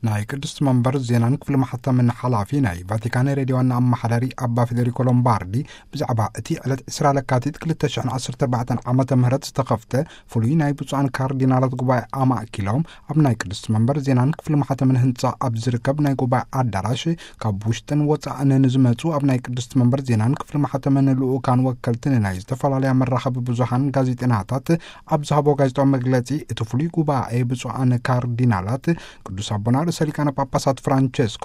ናይ ቅድስቲ መንበር ዜናን ክፍሊ ማሕተምን ሓላፊ ናይ ቫቲካን ሬድዮ ዋና ኣመሓዳሪ ኣባ ፌደሪኮ ሎምባርዲ፣ ብዛዕባ እቲ ዕለት ዕስራ ለካቲት ክልተ ሽሕን ዓሰርተ ኣርባዕተን ዓመተ ምህረት ዝተኸፍተ ፍሉይ ናይ ብፁዓን ካርዲናላት ጉባኤ ኣማእኪሎም፣ ኣብ ናይ ቅድስቲ መንበር ዜናን ክፍሊ ማሕተምን ህንጻ ኣብ ዝርከብ ናይ ጉባኤ ኣዳራሽ ካብ ውሽጥን ወጻእን ንዝመጹ ኣብ ናይ ቅድስቲ መንበር ዜናን ክፍሊ ማሕተምን ልኡካን ወከልትን ናይ ዝተፈላለያ መራኸቢ ብዙሃን ጋዜጠናታት ኣብ ዝሃቦ ጋዜጣዊ መግለጺ፣ እቲ ፍሉይ ጉባኤ ብፁዓን ካርዲናላት ቅዱስ ኣቦና ርእሰ ሊቃነ ጳጳሳት ፍራንቸስኮ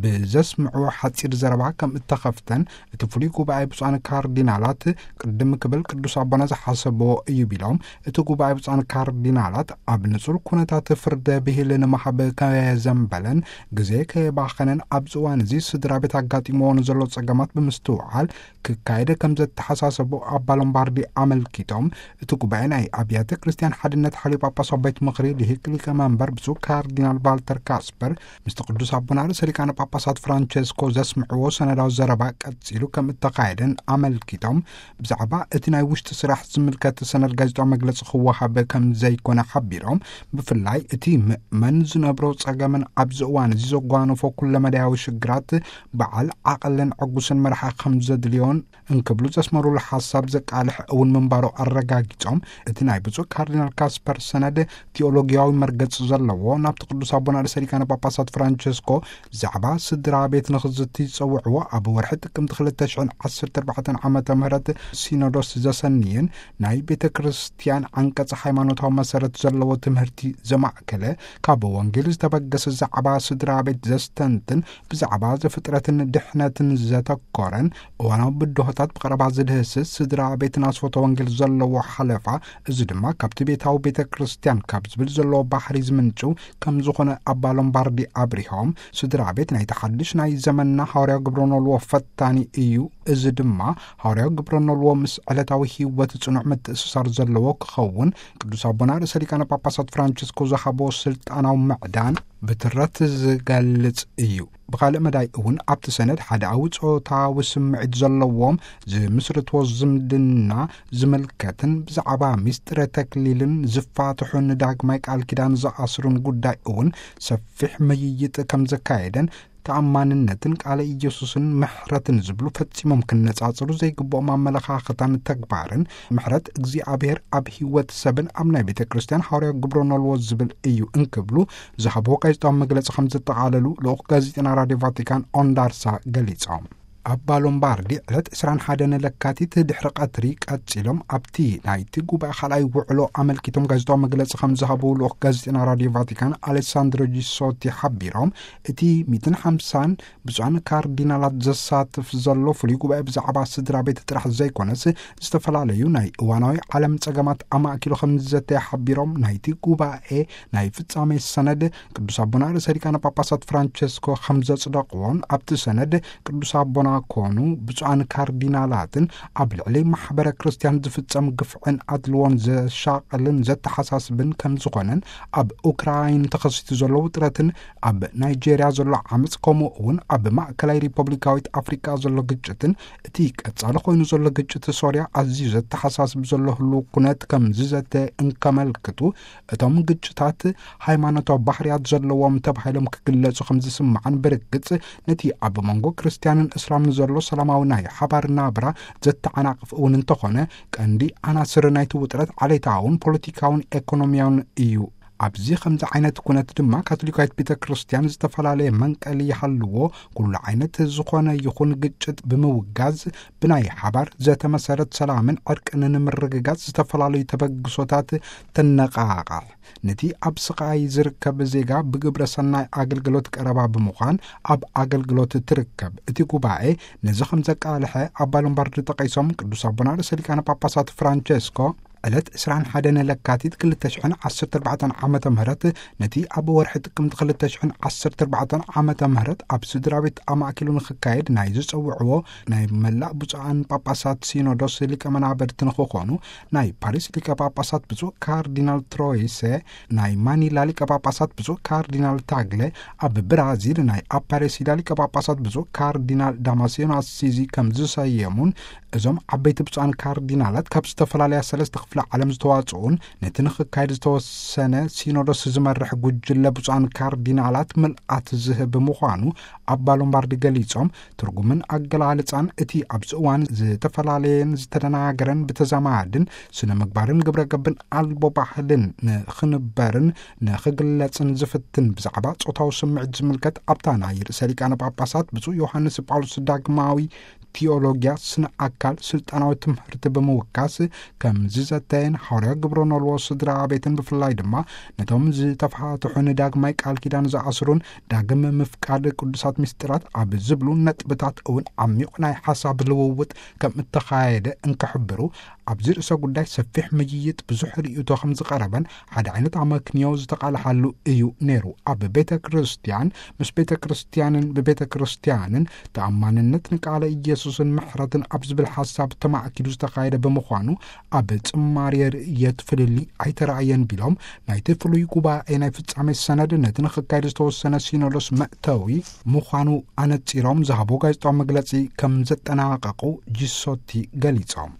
ብዘስምዕዎ ሓጺር ዘረባ ከም እተኸፍተን፣ እቲ ፍሉይ ጉባኤ ብፁዓን ካርዲናላት ቅድም ክብል ቅዱስ ኣቦና ዝሓሰብዎ እዩ ቢሎም፣ እቲ ጉባኤ ብፁዓን ካርዲናላት ኣብ ንጹር ኩነታት ፍርደ ብሂል ንምሃብ ከየዘንበለን ግዜ ከየባኸነን ኣብዚ እዋን እዚ ስድራ ቤት ኣጋጢምዎ ንዘሎ ጸገማት ብምስትውዓል ክካየደ ከም ዘተሓሳሰቡ ኣባ ሎምባርዲ ኣመልኪቶም፣ እቲ ጉባኤ ናይ ኣብያተ ክርስቲያን ሓድነት ሓልዮ ጳጳሳዊ ቤት ምኽሪ ልሂቅ ሊቀ መንበር ብፁዕ ካርዲናል ቫልተር ካስፐር ምስቲ ቅዱስ ኣቦና ርእሰ ሊቃነ ጳጳሳት ፍራንቸስኮ ዘስምዕዎ ሰነዳዊ ዘረባ ቀጺሉ ከም እተኻየደን ኣመልኪቶም፣ ብዛዕባ እቲ ናይ ውሽጢ ስራሕ ዝምልከት ሰነድ ጋዜጣዊ መግለጺ ክወሃብ ከም ዘይኮነ ሓቢሮም፣ ብፍላይ እቲ ምእመን ዝነብሮ ጸገምን ኣብዚ እዋን እዚ ዘጓነፎ ኩለመዳያዊ ሽግራት በዓል ዓቐልን ዕጉስን መርሓ ከም ዘድልዮን እንክብሉ ዘስመሩሉ ሓሳብ ዘቃልሕ እውን ምንባሩ ኣረጋጊጾም፣ እቲ ናይ ብፁዕ ካርዲናል ካስፐር ሰነድ ቲኦሎጊያዊ መርገጽ ዘለዎ፣ ናብቲ ቅዱስ ኣቦና ርእሰ ሊቃነ ጳጳሳት ፍራንቸስኮ ብዛዕባ ስድራ ቤት ንኽዝቲ ዝጸውዕዎ ኣብ ወርሒ ጥቅምቲ ክልተ ሽሕን ዓሰርተ ኣርባዕተን ዓመተ ምህረት ሲኖዶስ ዘሰንየን ናይ ቤተ ክርስቲያን ዓንቀጽ ሃይማኖታዊ መሰረት ዘለዎ ትምህርቲ ዘማእከለ፣ ካብ ወንጌል ዝተበገሰ ዛዕባ ስድራ ቤት ዘስተንትን፣ ብዛዕባ ዘፍጥረትን ድሕነትን ዘተኮረን እዋናዊ ብድሆታት ብቐረባ ዝድህስስ፣ ስድራ ቤትን ኣስፈቶ ወንጌል ዘለዎ ሓለፋ፣ እዚ ድማ ካብቲ ቤታዊ ቤተ ክርስቲያን ካብ ዝብል ዘለዎ ባህሪ ዝምንጭው ከም ዝኾነ ኣባ ሎምባርዲ ኣብሪሆም፣ ስድራ ቤት ናይቲ ሓድሽ ናይ ዘመንና ሃዋርያዊ ግብረ ኖልዎ ፈታኒ እዩ። እዚ ድማ ሃዋርያዊ ግብረ ኖልዎ ምስ ዕለታዊ ህይወት ጽኑዕ ምትእስሳር ዘለዎ ክኸውን ቅዱስ ኣቦና ርእሰ ሊቃነ ጳጳሳት ፍራንቸስኮ ዝሃቦ ስልጣናዊ ምዕዳን ብትረት ዝገልጽ እዩ። ብኻልእ መዳይ እውን ኣብቲ ሰነድ ሓደኣዊ ጾታዊ ስምዒት ዘለዎም ዝምስርትዎ ዝምድና ዝምልከትን ብዛዕባ ሚስጥረ ተክሊልን ዝፋትሑን ዳግማይ ቃል ኪዳን ዝኣስሩን ጉዳይ እውን ሰፊሕ ምይይጥ ከም ዘካየደን፣ ተኣማንነትን ቃለ ኢየሱስን ምሕረትን ዝብሉ ፈጺሞም ክነጻጽሩ ዘይግብኦም ኣመለኻኽታን ተግባርን፣ ምሕረት እግዚኣብሔር ኣብ ህይወት ሰብን ኣብ ናይ ቤተ ክርስቲያን ሃዋርያዊ ግብረ ኖልዎ ዝብል እዩ እንክብሉ ዝሃብዎ ጋዜጣዊ መግለጺ ከም ዘጠቓለሉ ልኡኽ ጋዜጠና ራድዮ ቫቲካን ኦንዳርሳ ገሊጾም። ኣባ ሎምባርዲ ዕለት ዕስራን ሓደን ለካቲት ድሕሪ ቀትሪ ቀጺሎም ኣብቲ ናይቲ ጉባኤ ካልኣይ ውዕሎ ኣመልኪቶም ጋዜጣዊ መግለጺ ከም ዝሃቡ ልኡኽ ጋዜጠና ራድዮ ቫቲካን ኣሌሳንድሮ ጂሶቲ ሓቢሮም፣ እቲ ሚእትን ሓምሳን ብፁዓን ካርዲናላት ዘሳትፍ ዘሎ ፍሉይ ጉባኤ ብዛዕባ ስድራ ቤት ጥራሕ ዘይኮነስ፣ ዝተፈላለዩ ናይ እዋናዊ ዓለም ጸገማት ኣማእኪሉ ከም ዝዘተየ ሓቢሮም፣ ናይቲ ጉባኤ ናይ ፍጻሜ ሰነድ ቅዱስ ኣቦና ርእሰ ሊቃነ ጳጳሳት ፍራንቸስኮ ከም ዘጽደቕዎን፣ ኣብቲ ሰነድ ቅዱስ ኣቦና ኮኑ ብፁዓን ካርዲናላትን ኣብ ልዕሊ ማሕበረ ክርስቲያን ዝፍጸም ግፍዕን ኣድልዎን ዘሻቕልን ዘተሓሳስብን ከም ዝኾነን፣ ኣብ ኡክራይን ተኸሲቱ ዘሎ ውጥረትን ኣብ ናይጄርያ ዘሎ ዓመጽ፣ ከምኡ እውን ኣብ ማእከላይ ሪፐብሊካዊት ኣፍሪቃ ዘሎ ግጭትን፣ እቲ ቀጻሊ ኮይኑ ዘሎ ግጭት ሶርያ ኣዝዩ ዘተሓሳስብ ዘሎ ህሉው ኩነት ከም ዝዘተ እንከመልክቱ፣ እቶም ግጭታት ሃይማኖታዊ ባህርያት ዘለዎም ተባሂሎም ክግለጹ ከም ዝስምዓን፣ ብርግጽ ነቲ ኣብ መንጎ ክርስትያንን እስላምን ዘሎ ሰላማዊ ናይ ሓባር ናብራ ዘተዓናቕፍ እውን እንተኾነ፣ ቀንዲ ዓናስር ናይቲ ውጥረት ዓሌታውን ፖለቲካውን ኤኮኖሚያውን እዩ። ኣብዚ ከምዚ ዓይነት ኩነት ድማ ካቶሊካዊት ቤተ ክርስቲያን ዝተፈላለየ መንቀሊ ይሃልዎ፣ ኩሉ ዓይነት ዝኾነ ይኹን ግጭት ብምውጋዝ ብናይ ሓባር ዘተ መሰረት ሰላምን ዕርቅን ንምርግጋጽ ዝተፈላለዩ ተበግሶታት ተነቓቓሕ። ነቲ ኣብ ስቓይ ዝርከብ ዜጋ ብግብረ ሰናይ ኣገልግሎት ቀረባ ብምዃን ኣብ ኣገልግሎት ትርከብ። እቲ ጉባኤ ነዚ ከም ዘቃልሐ ኣባ ሎምባርዲ ጠቒሶም፣ ቅዱስ ኣቦና ርእሰ ሊቃነ ጳጳሳት ፍራንቸስኮ ዕለት ዕስራን ሓደን ለካቲት ክልተ ሽሕን ዓሰርተ ኣርባዕተን ዓመተ ምህረት ነቲ ኣብ ወርሒ ጥቅምቲ ክልተ ሽሕን ዓሰርተ ኣርባዕተን ዓመተ ምህረት ኣብ ስድራ ቤት ኣማእኪሉ ንኽካየድ ናይ ዝጸውዕዎ ናይ መላእ ብፁዓን ጳጳሳት ሲኖዶስ ሊቀ መናብርት ንኽኾኑ ናይ ፓሪስ ሊቀ ጳጳሳት ብፁዕ ካርዲናል ትሮይሰ፣ ናይ ማኒላ ሊቀ ጳጳሳት ብፁዕ ካርዲናል ታግለ፣ ኣብ ብራዚል ናይ ኣፓሬሲዳ ሊቀ ጳጳሳት ብፁዕ ካርዲናል ዳማሲዮን ኣሲዚ ከም ዝሰየሙን፣ እዞም ዓበይቲ ብፁዓን ካርዲናላት ካብ ዝተፈላለያ ሰለስተ ክፍለ ዓለም ዝተዋጽኡን ነቲ ንኽካየድ ዝተወሰነ ሲኖዶስ ዝመርሕ ጉጅለ ብፁዓን ካርዲናላት ምልኣት ዝህብ ምዃኑ ኣባ ሎምባርዲ ገሊጾም፣ ትርጉምን ኣገላልጻን እቲ ኣብዚ እዋን ዝተፈላለየን ዝተደናገረን ብተዛማድን ስነ ምግባርን ግብረ ገብን ኣልቦ ባህልን ንኽንበርን ንኽግለጽን ዝፍትን ብዛዕባ ጾታዊ ስምዒት ዝምልከት ኣብታ ናይ ርእሰ ሊቃነ ጳጳሳት ብፁዕ ዮሃንስ ጳውሎስ ዳግማዊ ቲዮሎጊያ ስነ ኣካል ስልጣናዊ ትምህርቲ ብምውካስ ከምዚ ዘተየን፣ ሓዋርያ ግብረ ኖልዎ ስድራ ቤትን ብፍላይ ድማ ነቶም ዝተፋትሑን ዳግማይ ቃል ኪዳን ዝኣስሩን ዳግም ምፍቃድ ቅዱሳት ምስጢራት ኣብ ዝብሉ ነጥብታት እውን ዓሚቕ ናይ ሓሳብ ልውውጥ ከም እተኻየደ እንክሕብሩ፣ ኣብዚ ርእሰ ጉዳይ ሰፊሕ ምይይጥ ብዙሕ ርእይቶ ከም ዝቐረበን ሓደ ዓይነት ኣመክንዮ ዝተቓልሓሉ እዩ ነይሩ። ኣብ ቤተ ክርስቲያን ምስ ቤተ ክርስቲያንን ብቤተ ክርስቲያንን ተኣማንነት ንቃለ ኢየሱስን ምሕረትን ኣብ ዝብል ሓሳብ ተማእኪሉ ዝተኻየደ ብምዃኑ ኣብ ጽማርየ ርእየት ፍልልይ ኣይተራእየን ቢሎም፣ ናይቲ ፍሉይ ጉባኤ ናይ ፍጻሜ ሰነድ ነቲ ንኽካየድ ዝተወሰነ ሲኖዶስ መእተዊ ምዃኑ ኣነጺሮም ዝሃቦ ጋዜጣዊ መግለጺ ከም ዘጠናቐቑ ጂሶቲ ገሊጾም።